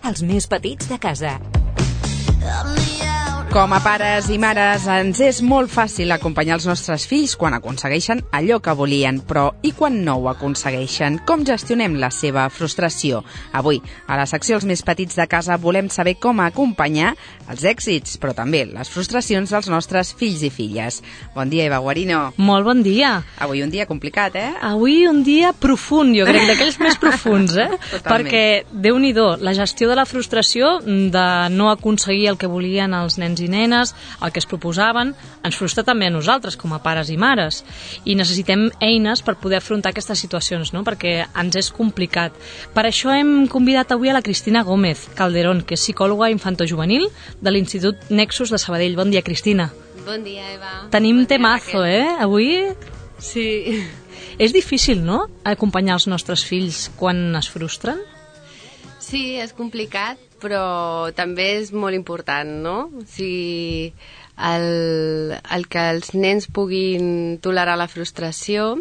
els més petits de casa. Com a pares i mares ens és molt fàcil acompanyar els nostres fills quan aconsegueixen allò que volien, però i quan no ho aconsegueixen? Com gestionem la seva frustració? Avui, a la secció Els més petits de casa, volem saber com acompanyar els èxits, però també les frustracions dels nostres fills i filles. Bon dia, Eva Guarino. Molt bon dia. Avui un dia complicat, Avui un dia profund, jo crec, d'aquells més profuns, Totalment. Perquè, Déu-n'hi-do, la gestió de la frustració, de no aconseguir el que volien els nens i nenes, el que es proposaven, ens frustra també a nosaltres com a pares i mares, i necessitem eines per poder afrontar aquestes situacions, no? Perquè ens és complicat. Per això hem convidat avui a la Cristina Gómez Calderón, que és psicòloga infantojuvenil de l'Institut Nexus de Sabadell. Bon dia, Cristina. Bon dia, Eva. Tenim bon temazo, Avui sí. És difícil, no?, acompanyar els nostres fills quan es frustren? Sí, és complicat, però també és molt important, no? O sigui, el que els nens puguin tolerar la frustració,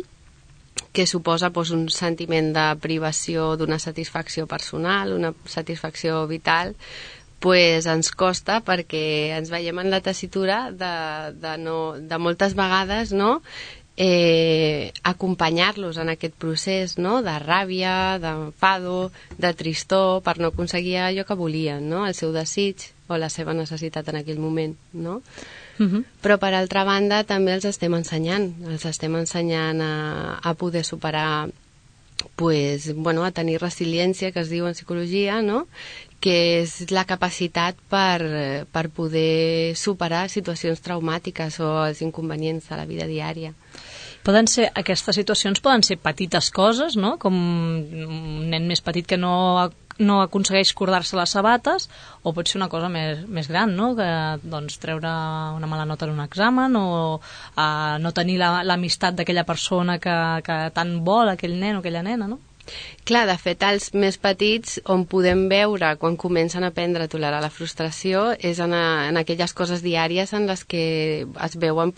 que suposa un sentiment de privació d'una satisfacció personal, una satisfacció vital, ens costa perquè ens veiem en la tessitura de moltes vegades, no?, acompanyar-los en aquest procés, no?, de ràbia, d'enfado, de tristor, per no aconseguir allò que volien, no?, el seu desig o la seva necessitat en aquell moment, no? Però per altra banda també els estem ensenyant a poder superar, a tenir resiliència, que es diu en psicologia, no?, que és la capacitat per poder superar situacions traumàtiques o els inconvenients de la vida diària. Aquestes situacions poden ser petites coses, no?, com un nen més petit que no aconsegueix cordar-se les sabates, o pot ser una cosa més gran, no?, que treure una mala nota en un examen, o no tenir l'amistat d'aquella persona que tant vol aquell nen o aquella nena, no? Clar, de fet, els més petits, on podem veure quan comencen a aprendre a tolerar la frustració, és en aquelles coses diàries en les que es veuen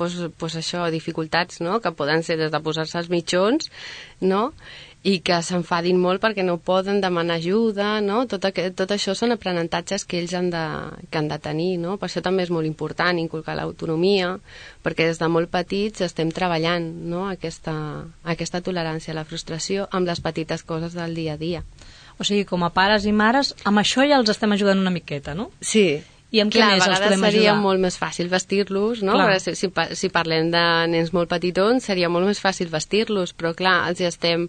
dificultats, no?, que poden ser des de posar-se els mitjons, no?, i que s'enfadin molt perquè no poden demanar ajuda, no? Tot això són aprenentatges que ells han de tenir, no? Per això també és molt important inculcar l'autonomia, perquè des de molt petits estem treballant, no?, aquesta tolerància a la frustració amb les petites coses del dia a dia. O sigui, com a pares i mares, amb això ja els estem ajudant una miqueta, no? Sí. I amb què més els podem ajudar? A vegades seria molt més fàcil vestir-los, no? Si parlem de nens molt petitons, seria molt més fàcil vestir-los, però clar, els hi estem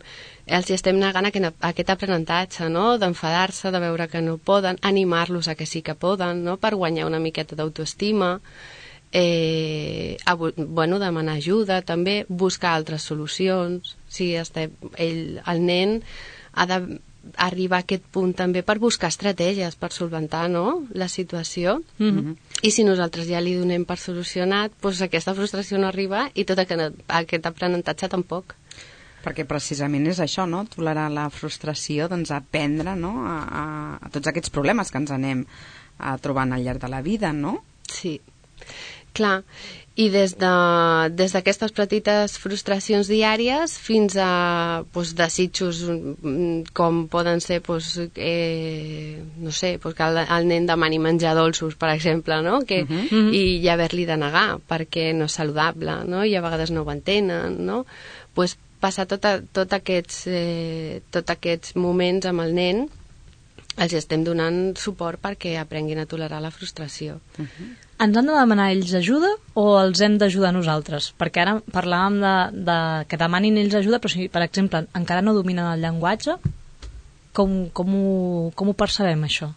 negant aquest aprenentatge, no?, d'enfadar-se, de veure que no poden, animar-los a que sí que poden, no?, per guanyar una miqueta d'autoestima, demanar ajuda, també buscar altres solucions. El nen ha d'arribar a aquest punt també per buscar estratègies per solventar, no?, la situació. I si nosaltres ja li donem per solucionat, aquesta frustració no arriba i tot aquest aprenentatge tampoc. Perquè precisament és això, no?, tolerar la frustració, aprendre, no?, a tots aquests problemes que ens anem trobant al llarg de la vida, no? Sí, clar. I des d'aquestes petites frustracions diàries fins a desitjos com poden ser, no sé, que el nen demani menjar dolços, per exemple, no?, i haver-li de negar perquè no és saludable, no?, i a vegades no ho entenen, no?, passar tots aquests moments amb el nen, els estem donant suport perquè aprenguin a tolerar la frustració. Ens han de demanar ells ajuda o els hem d'ajudar nosaltres? Perquè ara parlàvem de que demanin ells ajuda, però si, per exemple, encara no dominen el llenguatge, com ho percebem, això?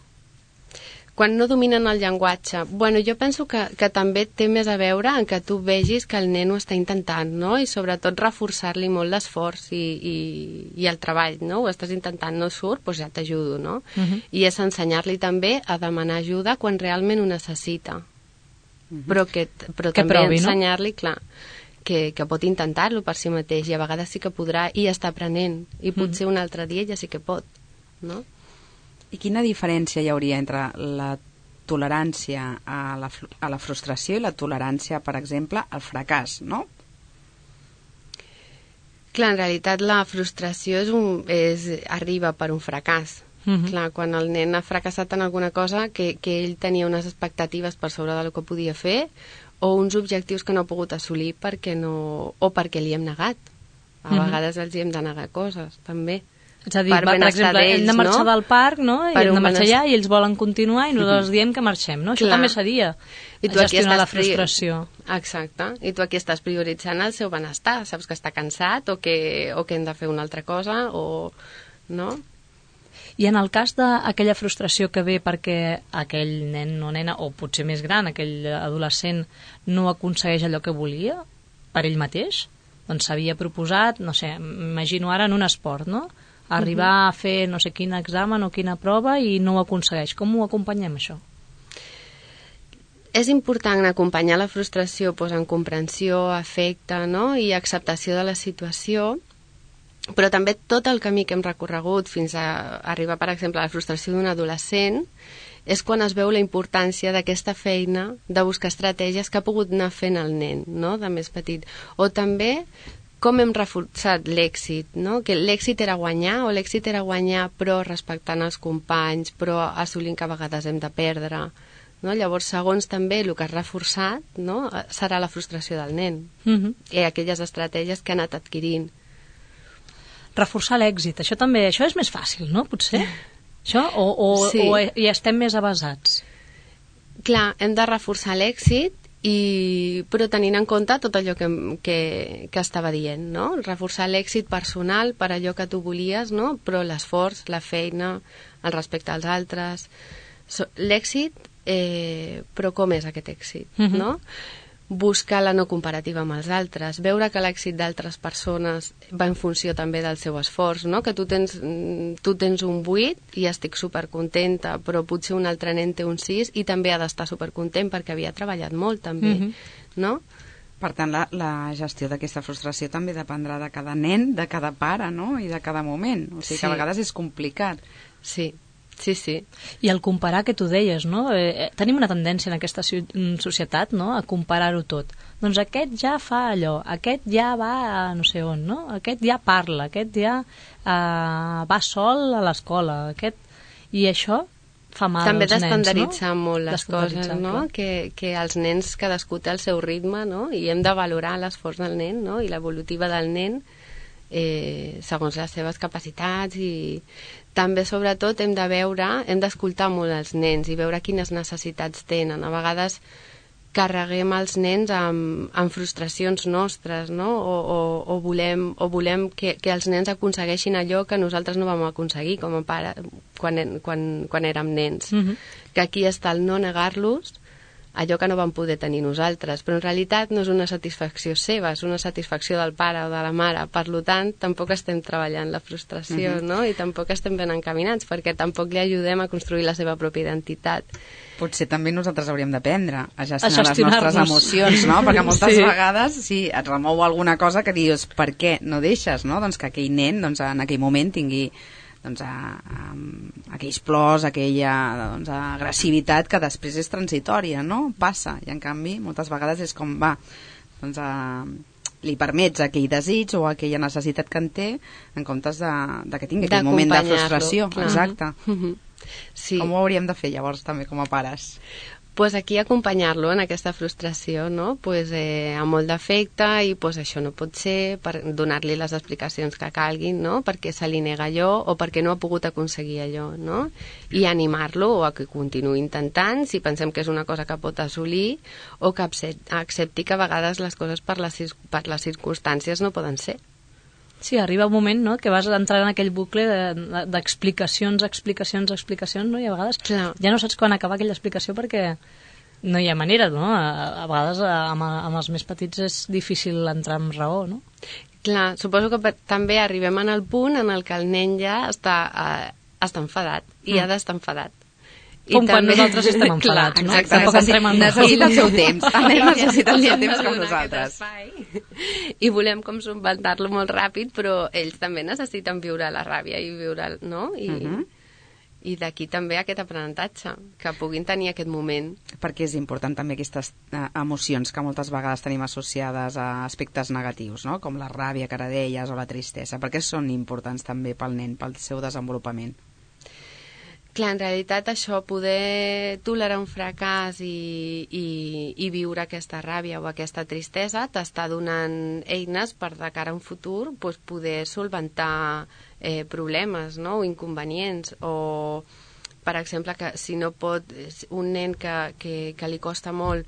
Quan no dominen el llenguatge, jo penso que també té més a veure en que tu vegis que el nen ho està intentant, no?, i sobretot reforçar-li molt l'esforç i el treball, no?, ho estàs intentant, no surt, ja t'ajudo, no? I és ensenyar-li també a demanar ajuda quan realment ho necessita. Però també provi, ensenyar-li, clar, que pot intentar-lo per si mateix, i a vegades sí que podrà, i està aprenent, i potser un altre dia ja sí que pot, no? I quina diferència hi hauria entre la tolerància a la frustració i la tolerància, per exemple, al fracàs, no? Clar, en realitat la frustració arriba per un fracàs. Clar, quan el nen ha fracassat en alguna cosa, que ell tenia unes expectatives per sobre del que podia fer, o uns objectius que no ha pogut assolir perquè li hem negat. A vegades els hi hem de negar coses, també. És a dir, per exemple, hem de marxar del parc, no? I hem de marxar allà i ells volen continuar i nosaltres diem que marxem, no? Això també seria gestionar la frustració. Exacte. I tu aquí estàs prioritzant el seu benestar. Saps que està cansat o que hem de fer una altra cosa no? I en el cas d'aquella frustració que ve perquè aquell nen o nena, o potser més gran, aquell adolescent, no aconsegueix allò que volia per ell mateix, doncs s'havia proposat, no sé, m'imagino ara en un esport, no? Arribar a fer no sé quin examen o quina prova i no ho aconsegueix. Com ho acompanyem, això? És important acompanyar la frustració en comprensió, afecte, no? I acceptació de la situació, però també tot el camí que hem recorregut fins a arribar, per exemple, a la frustració d'un adolescent és quan es veu la importància d'aquesta feina de buscar estratègies que ha pogut anar fent el nen, no?, de més petit. O també com hem reforçat l'èxit, no? Que l'èxit era guanyar, o l'èxit era guanyar però respectant els companys, però assolint que a vegades hem de perdre, no? Llavors, segons també el que has reforçat, no?, serà la frustració del nen i aquelles estratègies que ha anat adquirint. Reforçar l'èxit, això és més fàcil, no? Potser? Això? O hi estem més avasats? Clar, hem de reforçar l'èxit, però tenint en compte tot allò que estava dient, no? Reforçar l'èxit personal per allò que tu volies, no? Però l'esforç, la feina, el respecte als altres... L'èxit, però com és aquest èxit, no? Buscar la no comparativa amb els altres, veure que l'èxit d'altres persones va en funció també del seu esforç, no? Que tu tens un 8 i estic supercontenta, però potser un altre nen té un 6 i també ha d'estar supercontent perquè havia treballat molt també, no? Per tant, la gestió d'aquesta frustració també dependrà de cada nen, de cada pare, no? I de cada moment, o sigui que a vegades és complicat. Sí. I el comparar, que tu deies, no? Tenim una tendència en aquesta societat, no?, a comparar-ho tot. Doncs aquest ja fa allò, aquest ja va a no sé on, no? Aquest ja parla, aquest ja va sol a l'escola, i això fa mal també als nens, no? També d'estandarditzar molt les coses, no? Que els nens cadascú té el seu ritme, no? I hem de valorar l'esforç del nen, no? I l'evolutiva del nen segons les seves capacitats, i també sobretot hem d'escoltar molt els nens i veure quines necessitats tenen. A vegades carreguem els nens amb frustracions nostres, no? O volem que els nens aconsegueixin allò que nosaltres no vam aconseguir com a pare quan érem nens. Que aquí està el no negar-los allò que no vam poder tenir nosaltres, però en realitat no és una satisfacció seva, és una satisfacció del pare o de la mare. Per tant, tampoc estem treballant la frustració, no? I tampoc estem ben encaminats, perquè tampoc li ajudem a construir la seva pròpia identitat. Potser també nosaltres hauríem d'aprendre a gestionar les nostres emocions, no? Perquè moltes vegades, si et remou alguna cosa que dius, per què no deixes, no? Doncs que aquell nen, en aquell moment tingui aquells plors, aquella agressivitat que després és transitòria, no? Passa, i en canvi moltes vegades és com li permets aquell desig o aquella necessitat que en té en comptes de que tingui aquell moment de frustració. Exacte. Com ho hauríem de fer llavors també com a pares? Pues aquí acompanyar-lo en aquesta frustració, no? Amb molt d'afecte, i això no pot ser, per donar-li les explicacions que calguin, no? Perquè se li nega allò o perquè no ha pogut aconseguir allò, no? I animar-lo a que continuï intentant, si pensem que és una cosa que pot assolir, o que accepti que a vegades les coses per les circumstàncies no poden ser. Sí, arriba un moment, no?, que vas entrar en aquell bucle d'explicacions, no? I a vegades ja no saps quan acabar aquella explicació perquè no hi ha manera, no? A vegades amb els més petits és difícil entrar en raó, no? Clar, suposo que també arribem en el punt en el que el nen ja està enfadat i ha d'estar enfadat. Com quan nosaltres estem enfadats, no? Exacte, necessita el seu temps. El nen necessita el seu temps com nosaltres. I volem com solventar-lo molt ràpid, però ells també necessiten viure la ràbia i viure, no? I d'aquí també aquest aprenentatge, que puguin tenir aquest moment. Perquè és important també aquestes emocions que moltes vegades tenim associades a aspectes negatius, no? Com la ràbia que ara deies o la tristesa, perquè són importants també pel nen, pel seu desenvolupament. Clar, en realitat això, poder tolerar un fracàs i viure aquesta ràbia o aquesta tristesa t'està donant eines per de cara a un futur doncs, poder solventar problemes, no? O inconvenients, o per exemple que si no pot un nen que li costa molt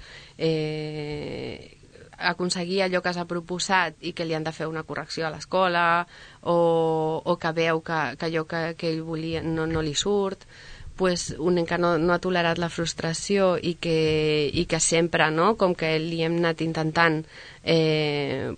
aconseguir allò que s'ha proposat i que li han de fer una correcció a l'escola o que veu que allò que ell volia no li surt, pues, un nen que no ha tolerat la frustració i que sempre, no? Com que li hem anat intentant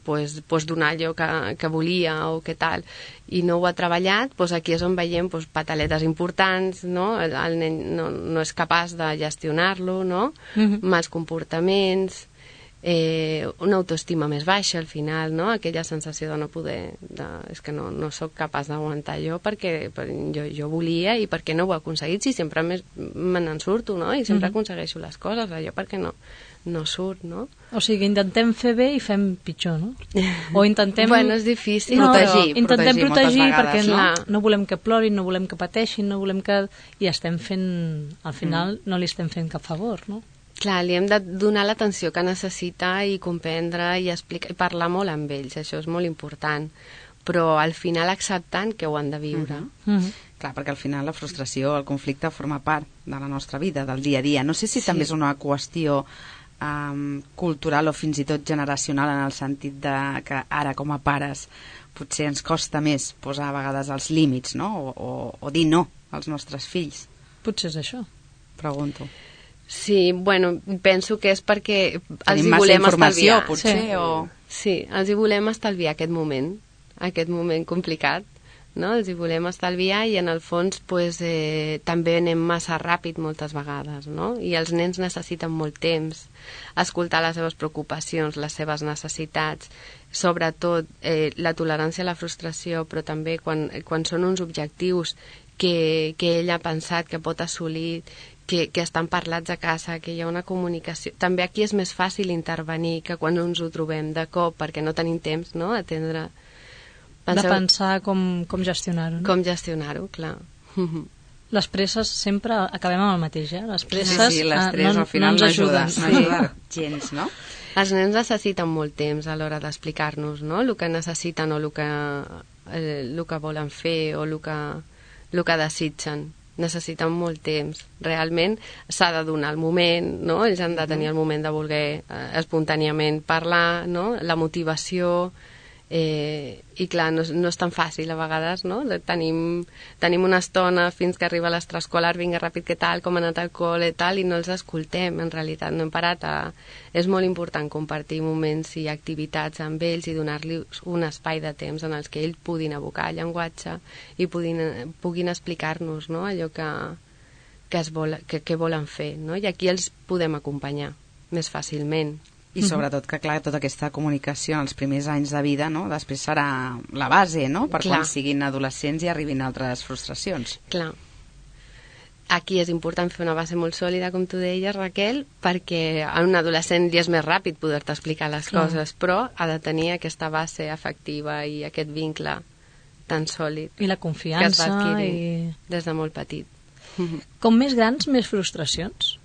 pues donar allò que volia o que tal, i no ho ha treballat, pues aquí és on veiem pues, pataletes importants, no? El nen no és capaç de gestionar-lo, no? Mals comportaments, una autoestima més baixa al final, no? Aquella sensació de no poder, és que no sóc capaç d'aguantar jo perquè jo volia i perquè no ho he aconseguit, si sempre me n'en surto, no? I sempre aconsegueixo les coses, allò perquè no surt, no? O sigui, intentem fer bé i fem pitjor, no? O intentem... Bueno, és difícil. Intentem protegir perquè vegades, no volem que plorin, no volem que pateixin, no volem que... I estem fent... Al final no li estem fent cap favor, no? Clar, li hem de donar l'atenció que necessita i comprendre i explicar, i parlar molt amb ells, això és molt important, però al final acceptant que ho han de viure. Clar, perquè al final la frustració, el conflicte forma part de la nostra vida, del dia a dia. No sé si també és una qüestió cultural o fins i tot generacional, en el sentit de que ara com a pares potser ens costa més posar a vegades els límits, no? O dir no als nostres fills. Potser és això. Pregunto. Sí, bueno, penso que és perquè els hi massa volem informació, estalviar. potser, Sí, els hi volem estalviar aquest moment complicat, no? Els hi volem estalviar i en el fons pues, també anem massa ràpid moltes vegades, no? I els nens necessiten molt temps, escoltar les seves preocupacions, les seves necessitats, sobretot la tolerància a la frustració, però també quan són uns objectius que ell ha pensat que pot assolir, que estan parlats a casa, que hi ha una comunicació. També aquí és més fàcil intervenir que quan ens ho trobem de cop, perquè no tenim temps, no?, atendre... De pensar com gestionar-ho. No? Com gestionar-ho, clar. Les presses sempre acabem amb el mateix, Les presses sí, l'estrès al final no ajuda gens, no? Els nens necessiten molt temps a l'hora d'explicar-nos, no?, el que necessiten o el que volen fer o el que desitgen. Necessiten molt temps. Realment s'ha de donar el moment, no? Ells han de tenir el moment de voler espontàniament parlar, no? La motivació, i clar, no és tan fàcil a vegades, no? Tenim una estona fins que arriba l'extraescolar, vinga ràpid, què tal, com ha anat al col·le, tal, i no els escoltem, en realitat no hem parat És molt important compartir moments i activitats amb ells i donar-los un espai de temps en els que ells puguin abocar el llenguatge i puguin explicar-nos, no?, allò que volen fer, no? I aquí els podem acompanyar més fàcilment. I sobretot que, clar, tota aquesta comunicació en els primers anys de vida, no?, després serà la base, no?, per quan siguin adolescents i arribin altres frustracions. Clar. Aquí és important fer una base molt sòlida, com tu deies, Raquel, perquè a un adolescent li és més ràpid poder-te explicar les coses, però ha de tenir aquesta base afectiva i aquest vincle tan sòlid. I la confiança. Que es va adquirir des de molt petit. Com més grans, més frustracions?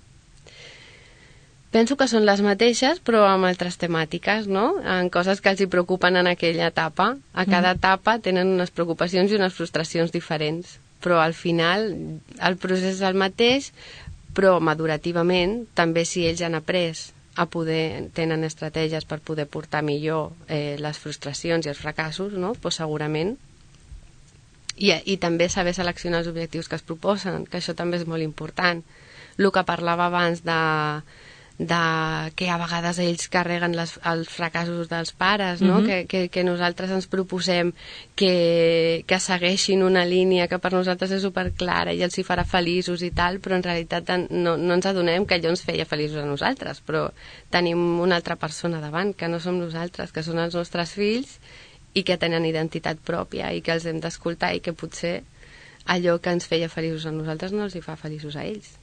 Penso que són les mateixes, però amb altres temàtiques, no? En coses que els hi preocupen en aquella etapa. A cada etapa tenen unes preocupacions i unes frustracions diferents, però al final el procés és el mateix, però madurativament, també si ells han après tenen estratègies per poder portar millor les frustracions i els fracassos, no? Pues segurament. I també saber seleccionar els objectius que es proposen, que això també és molt important. El que parlava abans que a vegades ells carreguen els fracassos dels pares, no? Que nosaltres ens proposem que segueixin una línia que per nosaltres és superclara i els hi farà feliços i tal, però en realitat no ens adonem que allò ens feia feliços a nosaltres, però tenim una altra persona davant, que no som nosaltres, que són els nostres fills i que tenen identitat pròpia i que els hem d'escoltar i que potser allò que ens feia feliços a nosaltres no els hi fa feliços a ells.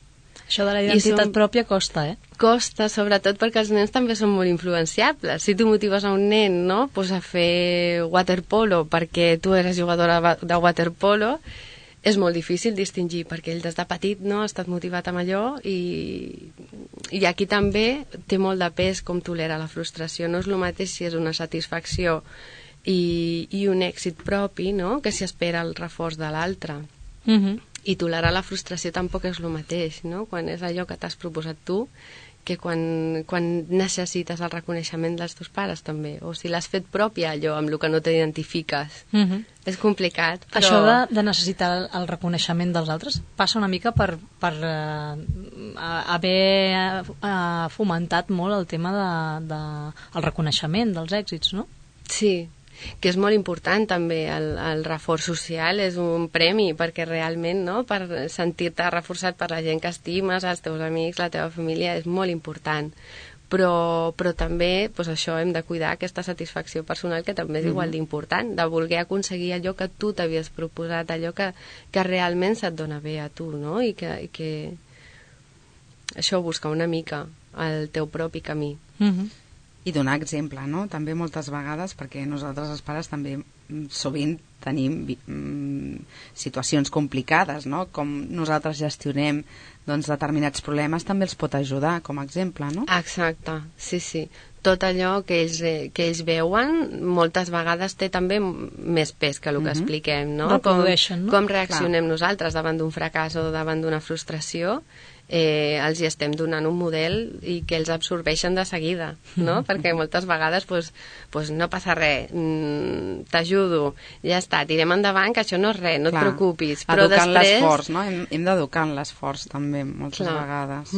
Això de la identitat pròpia costa, Costa, sobretot perquè els nens també són molt influenciables. Si tu motives a un nen, no?, pues a fer waterpolo perquè tu eres jugadora de waterpolo, és molt difícil distingir, perquè ell des de petit no ha estat motivat amb allò i aquí també té molt de pes com tolera la frustració. No és el mateix si és una satisfacció i un èxit propi, no?, que si espera el reforç de l'altre. I tolerar la frustració tampoc és el mateix, no?, quan és allò que t'has proposat tu, que quan necessites el reconeixement dels teus pares també, o si l'has fet pròpia allò amb el que no t'identifiques. És complicat, però... Això de necessitar el reconeixement dels altres passa una mica per haver fomentat molt el tema del reconeixement dels èxits, no? Sí, que és molt important també el reforç social, és un premi perquè realment, no?, per sentir-te reforçat per la gent que estimes, els teus amics, la teva família, és molt important. Però també, doncs això, hem de cuidar aquesta satisfacció personal, que també és igual d'important, de voler aconseguir allò que tu t'havies proposat, allò que realment se't dona bé a tu, no?, i que això, busca una mica el teu propi camí. I donar exemple, no?, també moltes vegades, perquè nosaltres els pares també sovint tenim situacions complicades, no?, com nosaltres gestionem determinats problemes, també els pot ajudar com a exemple, no? Exacte, sí. Tot allò que ells veuen moltes vegades té també més pes que el que expliquem, no? Reprodueixen, no? Com reaccionem nosaltres davant d'un fracàs o davant d'una frustració, els hi estem donant un model i que els absorbeixen de seguida, no? Perquè moltes vegades no passa res, t'ajudo, ja està, tirem endavant, que això no és res, no et preocupis. Però educant l'esforç, no? Hem d'educar en l'esforç també, moltes vegades.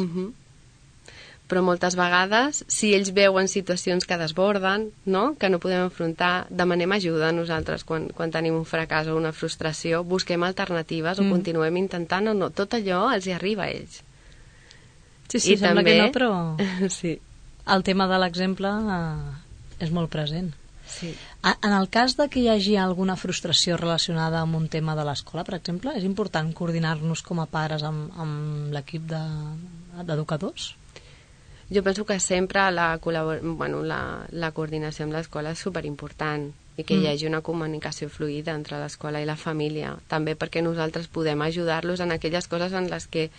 Però moltes vegades, si ells veuen situacions que desborden, no?, que no podem afrontar, demanem ajuda a nosaltres quan tenim un fracàs o una frustració, busquem alternatives o continuem intentant o no. Tot allò els hi arriba a ells. Sí, sembla que no, però sí. El tema de l'exemple és molt present. Sí. En el cas de que hi hagi alguna frustració relacionada amb un tema de l'escola, per exemple, és important coordinar-nos com a pares amb l'equip d'educadors? Jo penso que sempre la coordinació amb l'escola és superimportant i que hi hagi una comunicació fluida entre l'escola i la família, també perquè nosaltres podem ajudar-los en aquelles coses en les que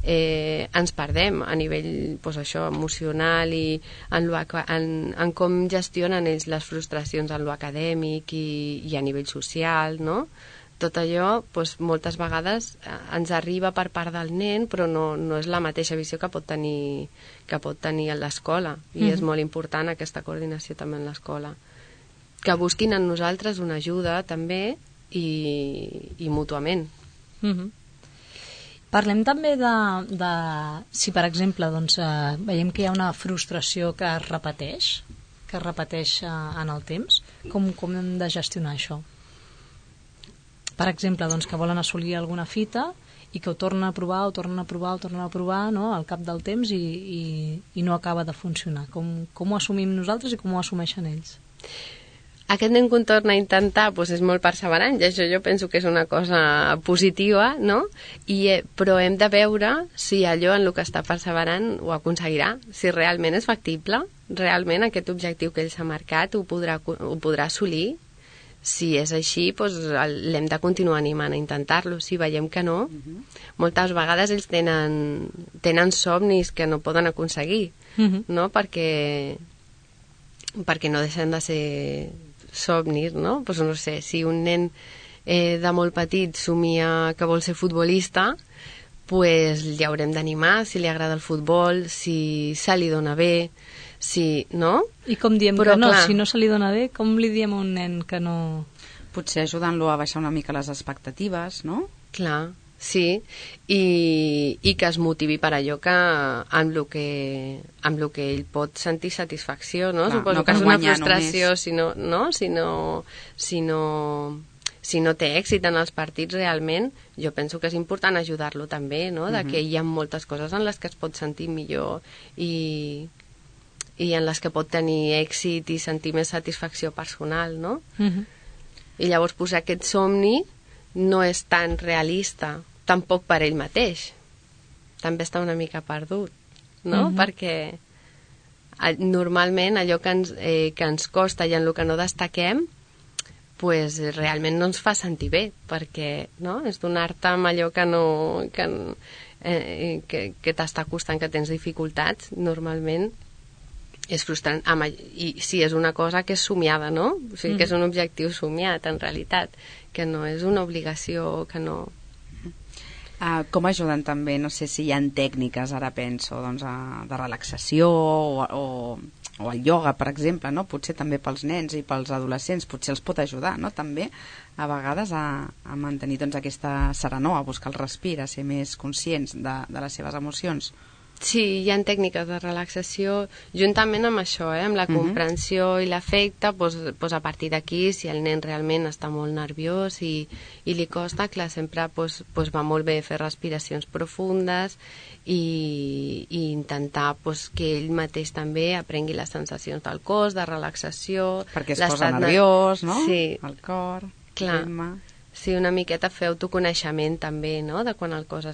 ens perdem a nivell emocional i en com gestionen ells les frustracions en lo acadèmic i a nivell social, no? Tot allò moltes vegades ens arriba per part del nen, però no és la mateixa visió que pot tenir a l'escola, i és molt important aquesta coordinació també en l'escola, que busquin en nosaltres una ajuda també i mútuament. Parlem també de si, per exemple, veiem que hi ha una frustració que es repeteix en el temps, com hem de gestionar això? Per exemple, que volen assolir alguna fita i que ho tornen a provar, no?, al cap del temps i no acaba de funcionar. Com ho assumim nosaltres i com ho assumeixen ells? Aquest nen que ho torna a intentar és molt perseverant, i això jo penso que és una cosa positiva, no? Però hem de veure si allò en el que està perseverant ho aconseguirà, si realment és factible, realment aquest objectiu que ell s'ha marcat ho podrà assolir. Si és així, l'hem de continuar animant a intentar-lo. Si veiem que no, moltes vegades ells tenen somnis que no poden aconseguir, no? Perquè no deixen de ser somnis, no? No sé, si un nen de molt petit somia que vol ser futbolista, li haurem d'animar si li agrada el futbol, si se li dona bé, no? I com diem que no? Si no se li dona bé, com li diem a un nen que no... Potser ajudant-lo a baixar una mica les expectatives, no? Clar, sí, i que es motivi per allò amb el que ell pot sentir satisfacció, no? Clar, suposo no que és una frustració si no té èxit en els partits realment. Jo penso que és important ajudar-lo també, no? Que hi ha moltes coses en les que es pot sentir millor i en les que pot tenir èxit i sentir més satisfacció personal, no? I llavors posar aquest somni no és tan realista, tampoc per ell mateix. També està una mica perdut, no? Perquè normalment allò que ens costa i en el que no destaquem, pues, realment no ens fa sentir bé, perquè no? És donar-te amb allò que t'està costant, que tens dificultats, normalment és frustrant. I si és una cosa que és somiada, no? O sigui, que és un objectiu somiat, en realitat, que no és una obligació, que no... Com ajuden també, no sé si hi ha tècniques, ara penso, doncs, de relaxació o el ioga, per exemple, no? Potser també pels nens i pels adolescents, potser els pot ajudar, no? També, a vegades, a mantenir doncs, aquesta serenor, a buscar el respir, a ser més conscients de les seves emocions. Sí, hi ha tècniques de relaxació juntament amb això, amb la comprensió i l'afecte, doncs a partir d'aquí, si el nen realment està molt nerviós i li costa, clar, sempre va molt bé fer respiracions profundes i intentar que ell mateix també aprengui les sensacions del cos, de relaxació. Perquè es posa nerviós, no? Sí. El cor, clar. Sí, una miqueta fer autoconeixement també, no?, de quan el cos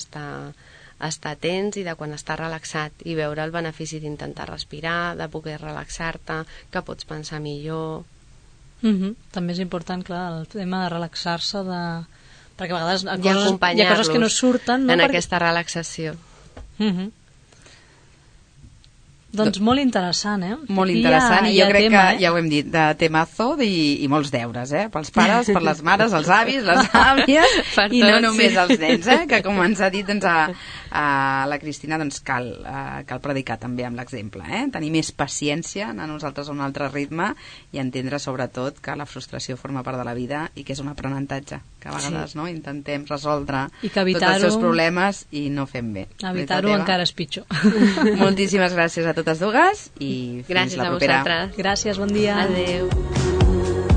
està tens i de quan està relaxat, i veure el benefici d'intentar respirar, de poder relaxar-te, que pots pensar millor. També és important, clar, el tema de relaxar-se, perquè a vegades hi ha coses que no surten, no? En aquesta relaxació. Doncs molt interessant, Molt interessant, i jo crec que ja ho hem dit, de temazo i molts deures, pels pares, per les mares, els avis, les àvies, i no només els nens, que com ens ha dit doncs, a la Cristina, doncs cal predicar també amb l'exemple, tenir més paciència, anar nosaltres a un altre ritme i entendre sobretot que la frustració forma part de la vida i que és un aprenentatge, que a vegades intentem resoldre tots els seus problemes i no fem bé. Evitar-ho encara és pitjor. Moltíssimes gràcies a totes dues i fins la propera. Gràcies a vosaltres. Gràcies, bon dia. Adéu.